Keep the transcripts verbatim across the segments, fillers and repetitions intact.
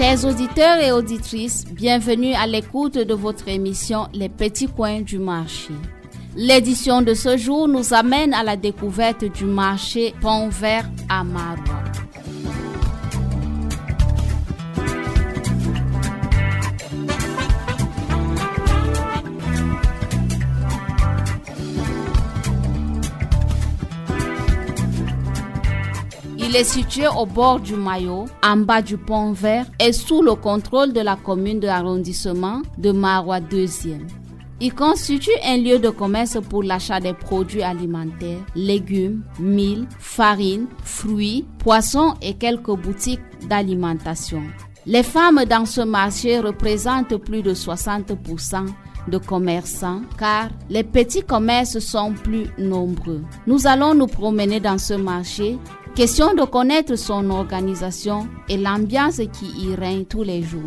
Chers auditeurs et auditrices, bienvenue à l'écoute de votre émission Les Petits Coins du Marché. L'édition de ce jour nous amène à la découverte du marché Pont Vert à Maroua. Il est situé au bord du Mayo, en bas du Pont Vert et sous le contrôle de la commune de l'arrondissement de Maroua deuxième. Il constitue un lieu de commerce pour l'achat des produits alimentaires, légumes, mil, farine, fruits, poissons et quelques boutiques d'alimentation. Les femmes dans ce marché représentent plus de soixante pour cent de commerçants car les petits commerces sont plus nombreux. Nous allons nous promener dans ce marché. Question de connaître son organisation et l'ambiance qui y règne tous les jours.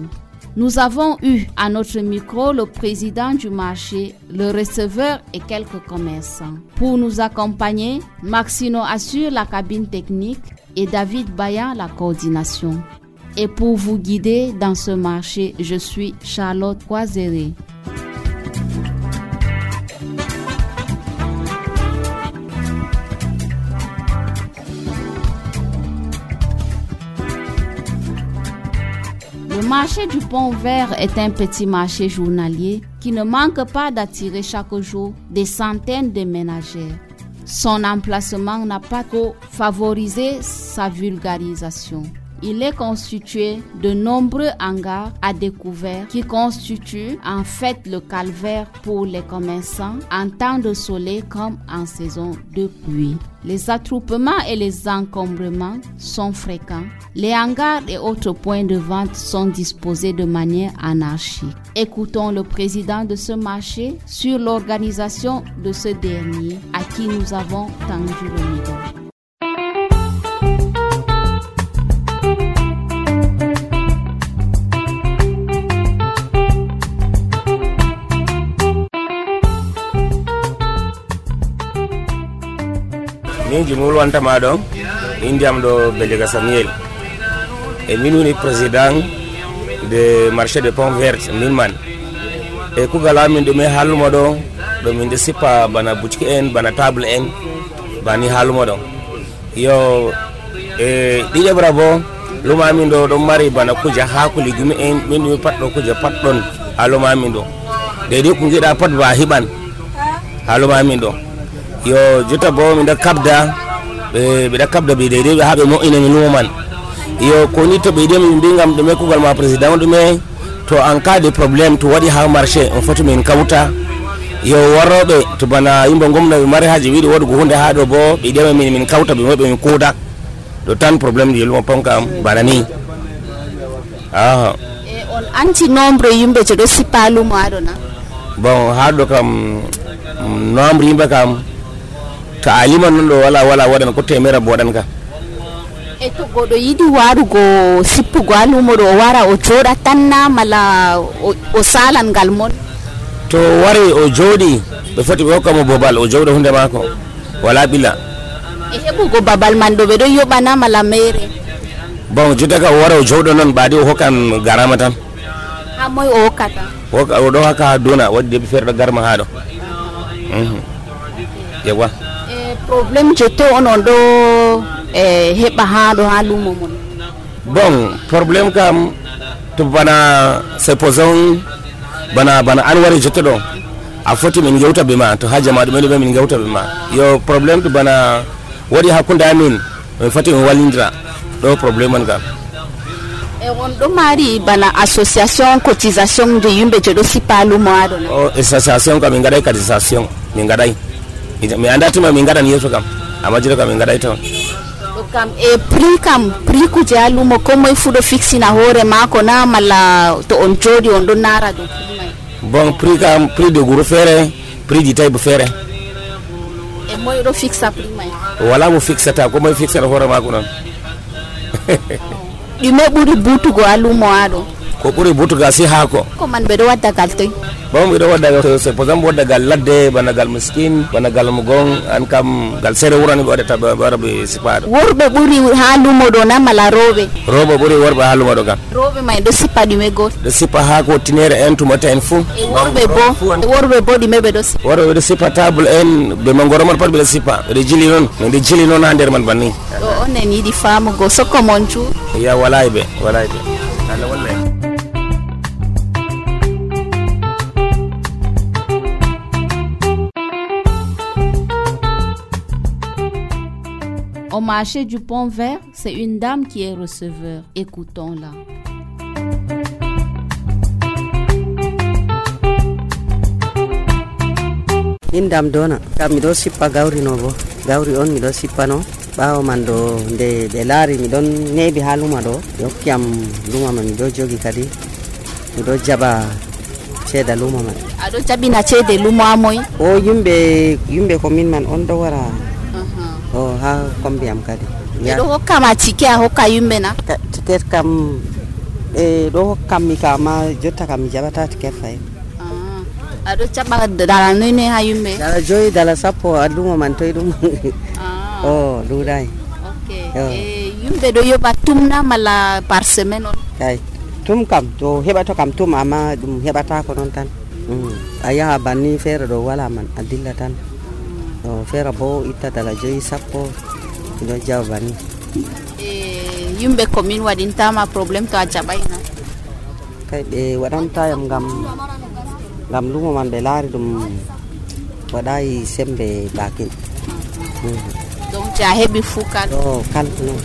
Nous avons eu à notre micro le président du marché, le receveur et quelques commerçants. Pour nous accompagner, Maxino assure la cabine technique et David Bayan la coordination. Et pour vous guider dans ce marché, je suis Charlotte Croiseré. Le marché du Pont Vert est un petit marché journalier qui ne manque pas d'attirer chaque jour des centaines de ménagères. Son emplacement n'a pas trop favorisé sa vulgarisation. Il est constitué de nombreux hangars à découvert qui constituent en fait le calvaire pour les commerçants en temps de soleil comme en saison de pluie. Les attroupements et les encombrements sont fréquents. Les hangars et autres points de vente sont disposés de manière anarchique. Écoutons le président de ce marché sur l'organisation de ce dernier à qui nous avons tendu le micro. Min jimul wanta maɗo indiam ɗo Belega Samuel e min woni président de marché de Pont Vert min man e kugal amin ɗume haalumo ɗo ɗo min ɗo sippa bana boutique en bana table en bani haalumo ɗo yo e ɗiƴeɓra bo luma amin ɗo ɗon mari bana kuja haako légume en min ɗumi pat ɗo kuja pat ɗon ha luma amin ɗo deydi ko giɗa pat ba hiɓan ha luma amin ɗo yo jotta bo mi da kabda be be da kabda be dede be habe mo ina mi numan yo ko ni to be dem mi ngam do me kugal ma president do me to en cas de problème to wadi ha marché on foto min kawta yo warobe to bana yimbo gomna be mari haji wiidi wodu go hunde ha do bo be dem min min kawta be mo be min koda do tan problème di lo ponkam bana ni ah e on anti nombre yimbe je do sipalu mo adona bon ha do kam nombre yimbe kam ta alima non do wala wala wadan ko temera bodan ka e to godo yidi warugo sippugo alumo do wara o joda tanna mala o salan gal mon to wari o jodi be foti be hokkamo bobal o jowdo hunde mako wala bila e hebugo babal man do be do yobana mala mere bon jotta ka wara o jowdo non baadi o hokkan garama tan ha moy o hokkata o do haka dona wadde be ferdo garma ha do mhm yewa problème jeto onon do e heba ha do halumo mon bon problème kam to bana supposons bana bana an wari jeto do a foti min gewta be ma to haja ma dum be min gewta be ma yo problème to bana wadi hakunda amin min foti min walindra do problème an kam e on do mari bana association cotisation de yumbe jedo sipalu mo adon o association kam min gadai cotisation min gadai mi anda tuma min gadan yeso kam amma jiro kam min gadai ton do kam e prix kam prix ku jalu mo ko moy fudo fixi na hore mako na mala to on jodi on do nara do bon prix kam prix de guru fere prix di taybu fere e moy do fixa prix mai wala mo fixata ko moy fixa hore mako non di me buri butugo alumo ado ko ɓuri butuga si haako ko man ɓe ɗo wadda gal toy bon ɓe ɗo wadda c'est par exemple wadda gal ladde bana gal miskin bana gal mugon an kam gal sere wurani ɓe waɗata ɓe wara ɓe sipaɗo worɓe ɓuri ha lumo ɗo na mala rooɓe rooɓe ɓuri worɓe ha lumo ɗo kam rooɓe may ɗo sippa ɗume goto ɗo sippa haako tinere en tumata en fuu e worɓe bo worɓe bo ɗume ɓe ɗo sippa worɓe ɓe ɗo sippa table en ɓe mangoro man pat ɓe ɗo sippa ɓeɗo jili noon ɓeɗo jili noon ha nder man banni ɗo onen yiɗi famugo sokko mon cu ya walay ɓe walay ɓe Allah wallay. Au marché du Pont Vert, c'est une dame qui est receveur. Écoutons-la. Min dam dona kam miɗo sippa gawri no bo gawri on miɗo sippa no ɓawo man do nde ɓe laari miɗon neebi ha luma ɗo ɓe hokkiyam luma man miɗo jogi kadi miɗo jaɓa ceeda luma man. Aɗo jaɓina ceede luma moy o yimɓe yimɓe ko min man on ɗo wara o ha kombi am kadi ɗo hokkama tike a hokka yimɓe na tiket kam e ɗo hokkam mi kama jotta kam mi jaɓata tiket fayi. Aɗo jaɓa dala noyne ha yimɓe dala joyi dala sappo a luma man toye ɗum o ɗuuɗayi yimɓe ɗo yoɓa tumna malla par semaine on kay tum kam to heɓato kam tum amma ɗum heɓata ko noon tan a yaha banni feere ɗo wala man a dilla tan o feere bo itta dala joyi sappo ɗo jawa banni yimɓe commune waɗintama probléme to a jaɓayna kay ɓe waɗantayam ngam ngam lumo man ɓe laari ɗum waɗayi sembe bakin donc a heɓi fuu kal o kal non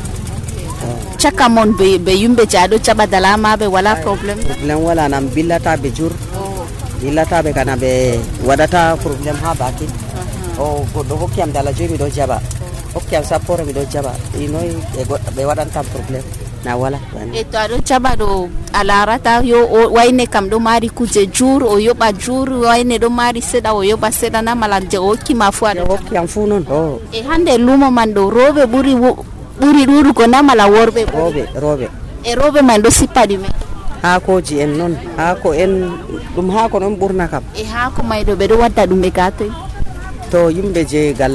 caka mon ɓe yimɓe je aɗo jaɓa dalamaɓe wala probléme probléme wala nam billataɓe jur billataɓe kana ɓe waɗata probléme ha bakin o goɗɗo hokkiyam dala joyi miɗo jaɓa hokkiyam sappore miɗo jaɓa inoyi ɓe goɗɗo ɓe waɗantam probléme na wala e to aɗo jaɓa ɗo a larata yo wayne kam ɗo mari kuje jur o yoɓa jur wayne ɗo mari seɗa o yoɓa seɗa na mala je o hokkima fuu aɗo hokkiyam fuu noon o e hande lumo man ɗo rooɓe ɓuri ɓuri ɗuɗugo na mala worɓe rooɓe rooɓe e rooɓe man ɗo sippa ɗume haakoji en noon haako en ɗum haako noon ɓurna kam e haako may ɗo ɓe ɗo wadda ɗum ɓe gatoy to yimɓe je gal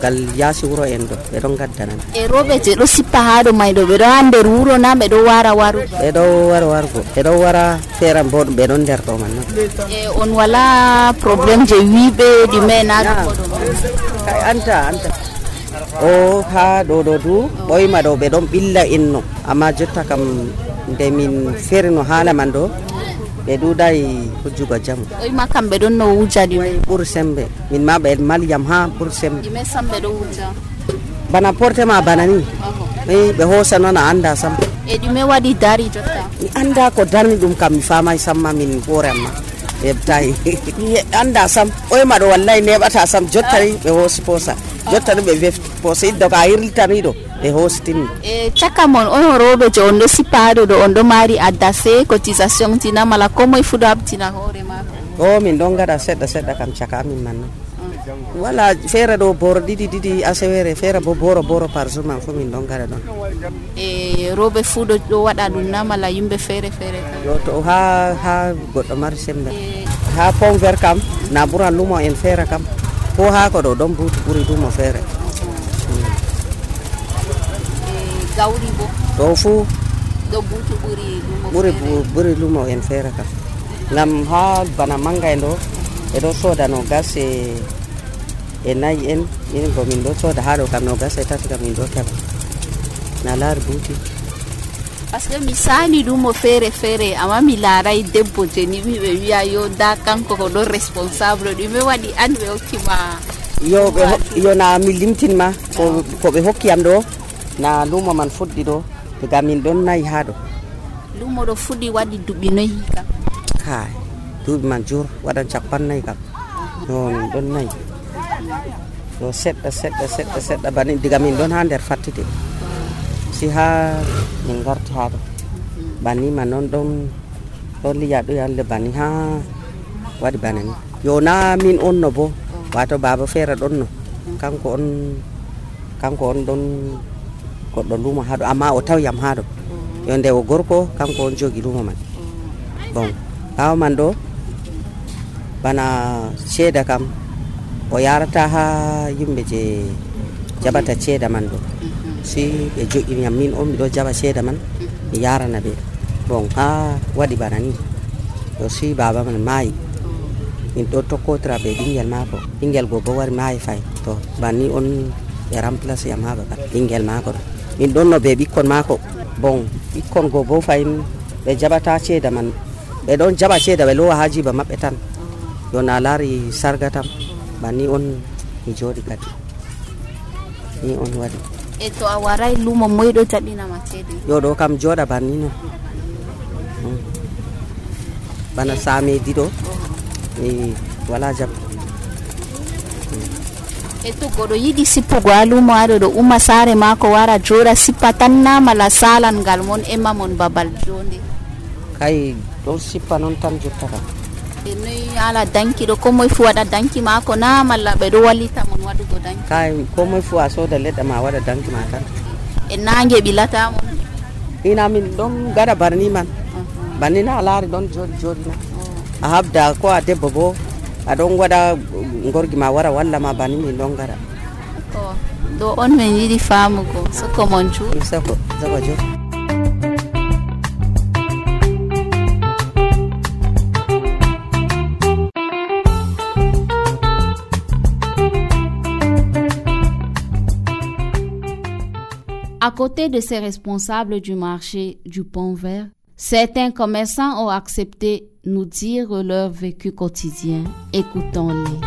gal yaasi wuro en ɗo ɓe ɗon gaddanan e rooɓe je ɗo sippa ha ɗo may ɗo ɓe ɗo ha nder wuro na ɓe ɗo wara waru ɓe ɗo wara wargo ɓe ɗo wara feeran bo ɓe ɗon nder ɗo man noon e on wala probléme je wiɓe ɗume na kay anta anta o ha ɗo ɗo du ɓoyma ɗo ɓe ɗon ɓilla inno amma jotta kam nde min ferino haala man ɗo ɓe ɗuɗayi hujjugo jamu ɓoyma kam ɓe ɗon no wuja ɗume ɓuuri sembe min ma ɓe malyam ha ɓuuri sembe ɗume sam ɓe ɗo wuja bana porte ma bana ni i ɓe hosa noon a anda sam e ɗume waɗi dari jotta mi anda ko darni ɗum kam mi famay samma min hoore amma heɓtayi mi anda sam ɓoyma ɗo wallahi neɓata sam jottani ɓe hoosi posa jottani ɓe wefti posa iddo ko a hirlitaniɗo ɓe hositini e caka mon on rooɓe je on ɗo sippa haɗo ɗo on ɗo mari addase cotisation tina mala ko moye fu ɗo habtina hoore mako o min ɗon gaɗa seɗɗa seɗɗa kam caka amin man noon wala feere ɗo boro ɗiɗi ɗiɗi asewere feere bo boro boro par jour man fo min ɗon gaɗa ɗon e rooɓe fu ɗo ɗo waɗa ɗum na mala yimɓe feere feere yo to ha ha goɗɗo mari sembe ha Pont Vert kam na ɓuran lumo en feere kam ko ha ko ɗo ɗon buuti ɓuri lumo feere gawri bo ɗo fu ɗo buutu ɓuri lumo ɓuri ɓuri lumo en feere kam ngam ha bana manga en ɗo ɓe ɗo sooda no gas e e nayi en min bo min ɗo sooda ha ɗo kam no gas e tati kam min ɗo keɓa na laari buuti par ce que mi sali lumo feere feere amma mi laaray debbo je ni ɓe wiya yo da kanko ko ɗon responsable ɗume waɗi an ɓe hokkima yo ɓe yo na mi limtinma ko ko ɓe hokkiyam ɗo na lumo man fuɗɗi ɗo daga min ɗon nayi ha ɗo lumo ɗo fuɗɗi waɗi duɓi noyi kam hay duuɓi man jur waɗan capan nayyi kam no min ɗon nayi yo seɗɗa seɗɗa seɗɗa seɗɗa bani diga min ɗon ha nder fattide si ha min garti ha ɗo banni man noon ɗon ɗon liya ɗo yalle banni ha waɗi bana ni yo na min on no bo wato baba feere ɗon no kanko on kanko on ɗon goɗɗo lumo ha ɗo amma o tawyam ha ɗo yo nde o gorko kanko on jogi lumo man. Bon ɓawo man ɗo bana ceeda kam o yarata ha yimɓe je jaɓata ceeda man ɗo, si ɓe joƴiniyam min on miɗo jaɓa ceeda man mi yarana ɓe. Bon ha waɗi bana ni yo si baba man maayi, min ɗo tokkotira ɓe ɓingel mako, ɓingel go bo wari maayi fay, to banni on ɓe remplace yam ha babal ɓingel mako ɗo. Min ɗon no ɓe ɓikkon mako. Bon ɓikkon go bo fayin ɓe jaɓata ceeda man, ɓe ɗon jaɓa ceeda ɓe lowa ha jiba maɓɓe tan, yo na laari sarga tam. Banni on mi jooɗi kadi ni on waɗi. E to a waray lumo moyɗo jaɓinama ceede? Yo ɗo kam jooɗa banni non. Bana saamedi ɗo mi wala jam. E to goɗo yiɗi sippugo ha lumo haɗo ɗo umma saare mako wara jooɗa sippa tan na mala salan ngal mon emma mon babal jonde? Kay ɗon sippa noon tan jottata. E noyi ala danki ɗo ko moye fu waɗa danki mako na malla ɓe ɗo wallita mon waɗugo danki? Kay ko moye fu a sooda leɗɗa ma waɗa danki ma tan. E nangue ɓilata mon? Ina min ɗon gaɗa barni man. Banni na a laari ɗon jooɗi jooɗi na a habda ko a debbo bo aɗon waɗa gorgi ma wara walla ma banni min ɗon gaɗa. Ɗo on min yiɗi famugo soko mon cuuɗi soko soko jo. À côté de ces responsables du marché du Pont Vert, certains commerçants ont accepté nous dire leur vécu quotidien. Écoutons-les.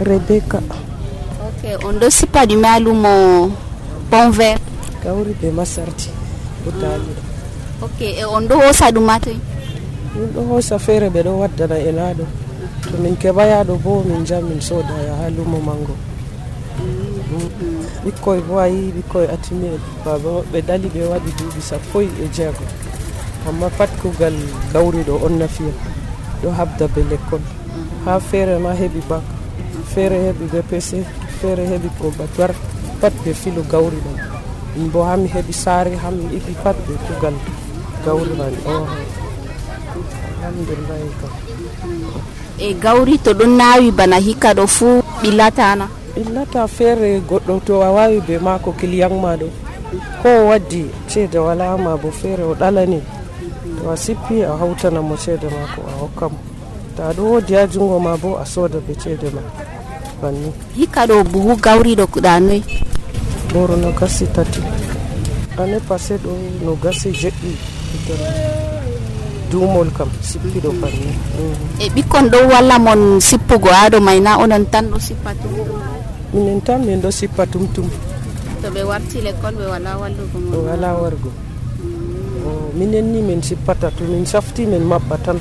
Rebecca. Ok, on ne sait pas du mal ou mon Pont Vert. Kauri be masarti utali. Ok, et on doit ça du matin. On doit ça faire be do wadda na elado. To min kebaya do bo min jam min soda ya halumo mango. Bikkoy bo ayi bikkoy atime baba be dali be wadi dubi sappo e jeego, amma pat kugal gawri do on nafiya do habda be lekkol ha fere ma hebi bak, fere hebi B P C, fere hebi combattoir, pat be filu gawri do min bo hami hebi sare hami ibi pat be kugal gawri man. Oh alhamdulillah ko e gawri to ɗon nawi bana hikka ɗo fuu ɓillatana? Ɓillata feere goɗɗo to a wawi be mako client ma ɗo ko waddi ceede wala ma bo feere o ɗalani to a sippi a hawtana mo ceede mako a hokka mo, ta ɗo wodi ha jungo ma bo a sooda be ceede ma banni. Hikka ɗo buhu gawri ɗo kuɗa noyi? Boro no gasi tati ane passé ɗo no gasi jeɗɗi dumol kam sippiɗo banni. E ɓikkon ɗo walla mon sippugo haɗo may na onon tan ɗo sippa tum? Minen tan min ɗo sippa tum tum. To ɓe warti l'école ɓe wala wallugo mon? Wala wargo. Minen ni min sippata to min safti min maɓɓa tan.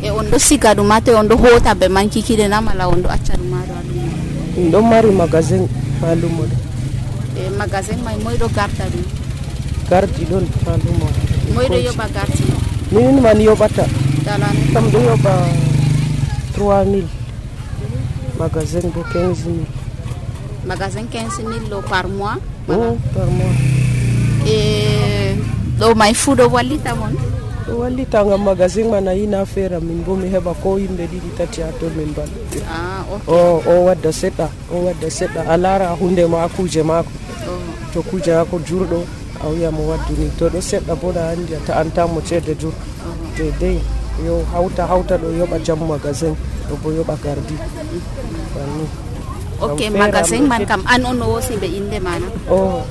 E on ɗo siga ɗum ha to on ɗo hota ɓe man kikiɗe na mala on ɗo acca ɗum haɗo ha lumo? Min ɗon mari magasin ha lumo ɗo. E magasin may moy ɗo garda ɗum? Gardi ɗon ha lumo. Moy ɗo yoɓa gardi? Min man yoɓata kam ɗo yoɓa trois mille, magasin bo quinze mille. Magasin quinze mille ɗo par mois? Oh, par mois. E ɗo may fuu ɗo wallita mon? Ɗo wallita ngam magasin man a yina feera min bo mi heɓa ko yimɓe ɗiɗi tati ha ton min balɗe. Ah, ok. o o wadda seɗɗa o wadda seɗɗa a laara hunde ma kuje mako. To kuje mako jurɗo a wiya mo wadduni, to ɗo seɗɗa bo ɗa andi a ta'antamo ceede jur dedei yo hawta hawta ɗo yoɓa jam magasin ɗo bo yoɓa gardi banni. Ok, magasin man kam an on o wosi ɓe inde mana? Oh,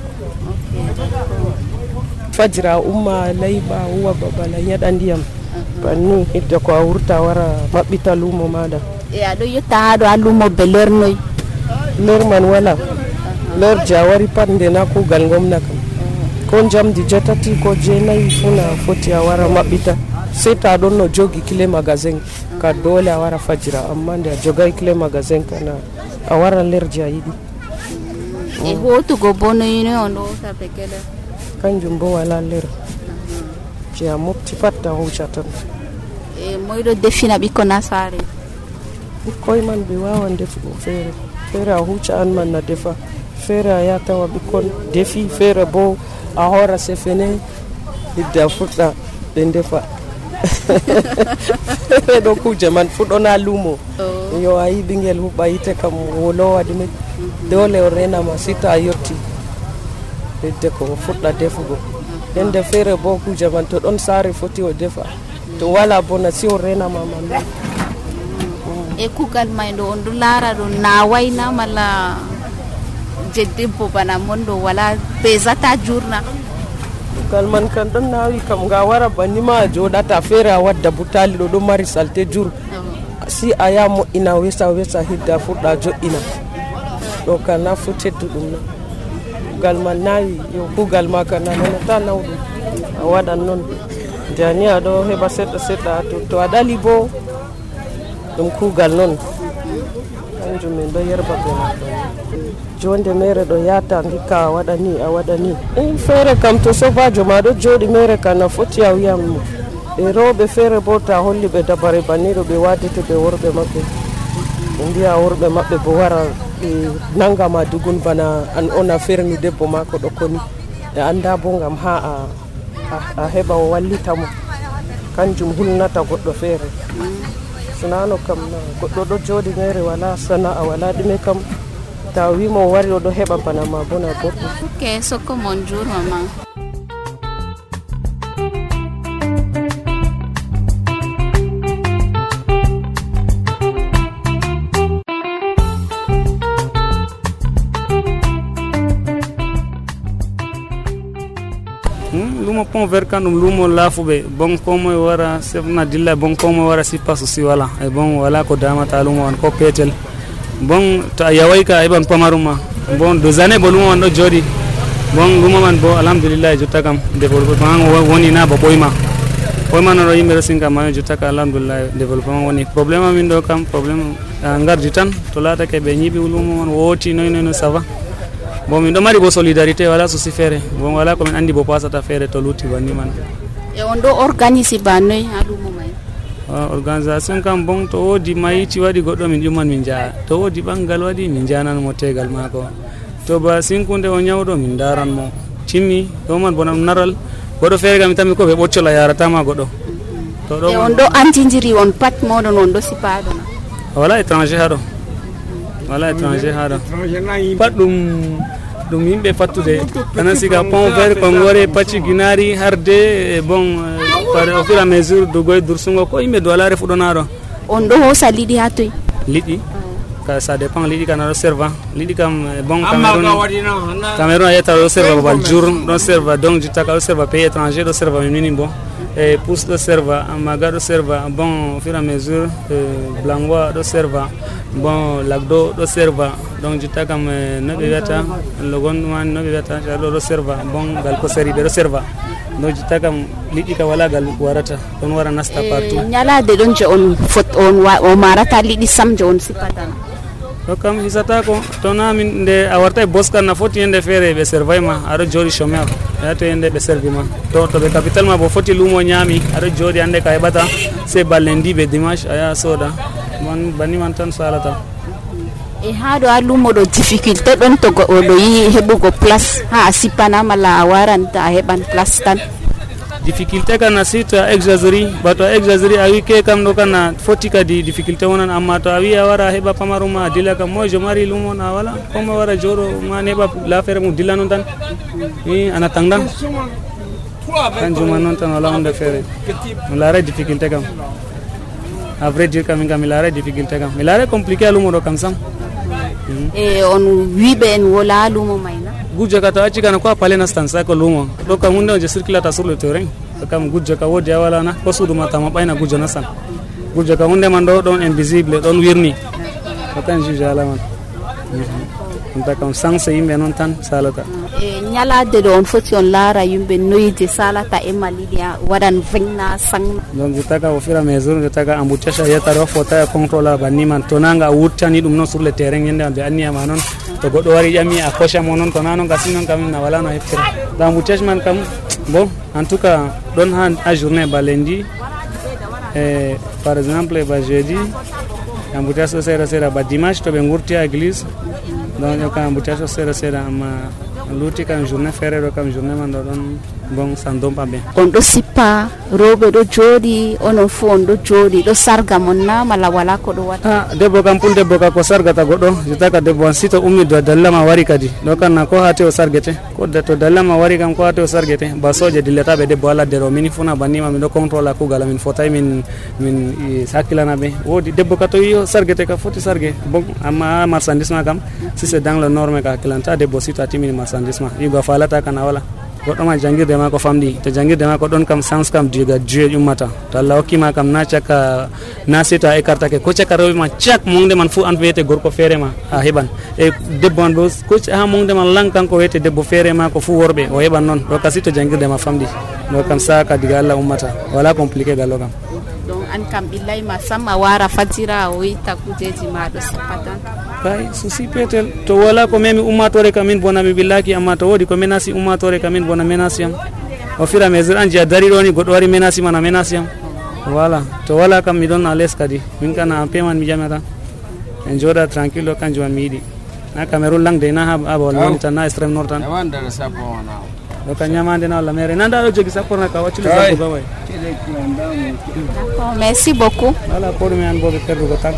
fajira umma layɓa huwa babal a nyaɗa ndiyam banni hidde ko a wurta wara maɓɓita lumo maɗa. E aɗo yetta haɗo ha lumo be lernoy? Ler man wala, ler je a wari pat nde na kugal gomna kam ko jamdi jetati ko jeenayi funa foti a wara maɓɓita, sei ta ɗon no jogi clé magasin ka dole a wara fajira, amma nde a jogay clé magasin kana a wara ler je a yiɗi. E hotugo bo noyino on ɗo hota be keɗer? Kanjum bo wala ler je a mofti pat a huca tan. E moyɗo defina ɓikkon ha saare? ɓikkoy man ɓe wawan defugo feere feere a hucca an man na defa feere a ya tawa ɓikkon defi feere bo a hora sefene hidda fuɗɗa ɓe defa feere ɗo kuje man fuɗɗona lumo yo a yi ɓingel huɓɓa yite kam wolowa ɗume dole o renama sita a yotti hidde ko fuɗɗa defugo nden feere bo kuje man to ɗon saare foti o defa to wala bona si o renama man e kugal may ɗo on ɗo laara ɗo nawayna malla je debbo bana mon ɗo wala pesata jurna kugal man kan ɗon nawi kam nga wara banima a joɗata feere a wadda butali ɗo ɗo mari salte jur si a ya moƴƴina wesa wesa hidda fuɗɗa joɗɗina ɗo ka na fu tedduɗum na kugal man nawi yo kugal ma ka nananata nawɗum a waɗan noon jani aɗo heɓa seɗɗa seɗɗa to to a ɗali bo ɗum kugal noon kanjum min ɗo yerba ɓe maɗɗon jonde mere ɗo yata ndikka a waɗa ni a waɗa ni e feere kam to sobajo ma ɗo joɗi mere kam na foti a wiyam mo e rewɓe feere bo ta holli ɓe dabare banniɗo ɓe wadete ɓe worɓe maɓɓe ɓe mbiya worɓe maɓɓe bo wara ɓe nangama dugun bana an ona ferni debbo mako ɗo koni e anda bo gam ha a a heɓa o wallitamo kanjum hulnata goɗɗo feere sinano kam na goɗɗo ɗo joɗi mere wala sana'a wala ɗume kam ta wimo o wari oɗo heɓa bana ma bona goɗɗo ok soko mon jour maman lumo pont vert kan ɗum lumo laafuɓe bon komoye wara sefna dilla bon komoye wara sippa so si wala e bon wala ko damata lumo wan ko peetel bon to a yaway ka a heɓan pamarum ma bon deux années bo lumo man ɗo jooɗi bon lumo man bo alhamdulillah jotta kam développement woni na ba ɓoyma ɓoyma noɗo yimɓe ɗo sinka mayo jotta ka alhamdulillah développement woni probléme amin ɗo kam probléme a gardi tan to laatake ɓe ñiiɓi lumo man wooti noy noy no ça va bon min ɗo mari bo solidarité wala souci feere bon wala komin andi bo pasata feere to lutti banni man e on ɗo organise ba noy ha lumo may organisation kam bon to woodi mayiti waɗi goɗɗo min ƴumman min jaa to woodi ɓanggal waɗi min jananmo tegal maako to ba sinkude o ñawɗo min daranmo timmi ɗo man bonam naral goɗɗo feere kam mi tammi ko ɓe ɓoccola yaratama goɗɗo to ɗo e on ɗo antidiri on pat moɗon on ɗo sipaɗona wala étranger haɗo wala étranger haɗo pat ɗum ɗum yimɓe fattude tanan siga pont vert kon wari pacci guinari harde e bon par au fur et à mesure dogoye dursungo ko yimɓe do ala refuɗonaɗo on ɗo hosa liɗi ha toy liɗi ka ça dépend liɗi kana ɗo serva liɗi kam bon cameron cameron a yetta ɗo serva babal jour ɗon serva donc jitta ka ɗo serva pays étranger ɗo serva min mini bon e pousse ɗo serva amaga ɗo serva bon au fur et à mesure blangoa ɗo serva bon lagdo ɗo serva donc jitta kam no ɓe wiyata logon ɗuman no ɓe wiyata ɗo ɗo serva bon gal ko seri ɓe ɗo serva donc jitta kam liɗɗi ka wala gal warata ɗon wara nasta partout ñalade ɗon je on fot on o marata liɗɗi sam je on sipatana to kam hisata ko to na min nde a warta e boskan na foti yende feere ɓe servay ma aɗo jooɗi chômeur yato yende ɓe servi ma to to ɓe capital ma bo foti lumo ñaami aɗo jooɗi hande ka heɓata se balle ndiɓe dimanche a yaha sooda man banni man tan salata e ha ɗo a lumo ɗo difficulté ɗon to goɗɗo ɗo yi heɓugo place ha a sippana malla a waranta a heɓan place tan difficulté kana si to a exagéri ba to a exagéri a wi ke kam ɗo kana foti kadi difficulté wonan amma to a wi a wara heɓa pamaruma a dilla kam moi je mari lumon a wala comme wara jooɗo man heɓa l'affaire mum dilla noon tan i ana tangdan kanjuma noon tan wala hunde feere mi laara difficulté kam à vrai dire kam min kam mi laara difficulté kam mi laara compliqué a lumo ɗo kam sam e on wiɓe en wola lumo mayna gujjo ka to acci kana ko a pale nastan sa ko lumo ɗo kam hunde on je circulata sur le terrain ɗo kam gujjo ka woodi a wala na ko suudu ma tama ɓayna gujjo nastan gujjo ka hunde man ɗo ɗon invisible ɗon wirni ko tan juge ala man ɗum ta kam sanse yimɓe noon tan salata e ñalade ɗo on foti on laara yimɓe noyde salata e maliɗi waɗan vegna sang donc jottaka au fur et à mesure jottaka embouteillage a yettata o fota e contrôle banni man to nanga a wuttani ɗum noon sur le terrain yende ɓe anniyama noon to goɗɗo wari ƴami a cocha mo noon to na noon gasi noon kam na wala no heftira donc embouteillage man kam bon en tout cas ɗon ha a journée ba lundi e par exemple ba jeudi embouteillage ɗo seeɗa seeɗa ba dimanche to ɓe gurti ha église donc ƴokka embouteillage ɗo seeɗa seeɗa amma luuti kam journée feere ɗo kam journée man ɗo ɗon bon ça ne donne pas bien. On ɗo sippa rewɓe ɗo jooɗi onon fo on ɗo jooɗi ɗo sarga mon na malla wala ko ɗo waɗa? Ah, debbo kam pun debbo ka ko sargata goɗɗo jetta ka debbo si to ummi do dallama wari kadi ɗo kam na ko hate o sargete ko to dallama wari kam ko hate o sargete ba soje dillataɓe debbo ala nder o mini funa bannima min ɗo contrôle kugal min fotay min min hakkilana ɓe woodi debbo ka to yi sargete ka foti sarge bon amma marchandise ma kam si c'est dans le norme ka hakkilanta debbo si to a timmini marchandise ma yigo falata kana wala goɗɗo ma jangirde ma ko famɗi to jangirde ma ko ɗon kam sens kam diga Dieu ummata to Allah hokkima kam na cakka na seta écartake ko cakka rewɓe ma cak mongde man fu an wiyete gorko feere ma a heɓan e debbo man bo ko ha mongde man lang kanko wiyete debbo feere ma ko fu worɓe o heɓan noon ɗo kasi to jangirde ma famɗi ɗo kam saka diga Allah ummata wala compliqué gallo kam. Donc an kam billahi ma samma wara fatira o yitta kujeji ma ɗo sappatan kay souci petel to wala ko memi ummatore kamin bona mi billaki amma to wodi ko menasi ummatore kamin bona menasi am o fira mesure an jiya dari ɗo ni goɗɗo wari menasi man a menasi am voilà to wala kam mi ɗon à l'aise kadi min kana en paiement mi jamata en joɗa tranquille kanjum man mi yiɗi na Cameroun langde na ha abol woni tan na extrême nord tan ɗo ka ñamande na walla mere nanda ɗo jogi sapporna ka waccude sappo gaway. D'accord, merci beaucoup. Voilà pour mi an boɓe perdugo tag.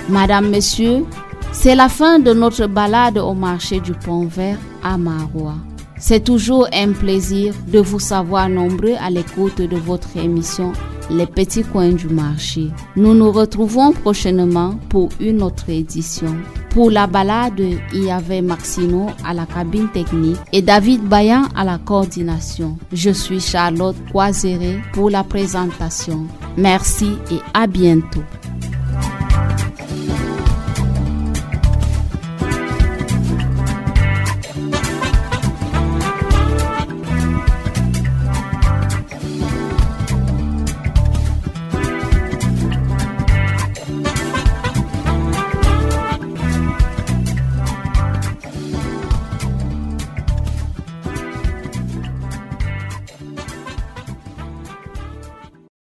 Madame, Monsieur, c'est la fin de notre balade au marché du Pont Vert à Maroua. C'est toujours un plaisir de vous savoir nombreux à l'écoute de votre émission Les Petits Coins du Marché. Nous nous retrouvons prochainement pour une autre édition. Pour la balade, il y avait Maxino à la cabine technique et David Bayan à la coordination. Je suis Charlotte Coiseré pour la présentation. Merci et à bientôt.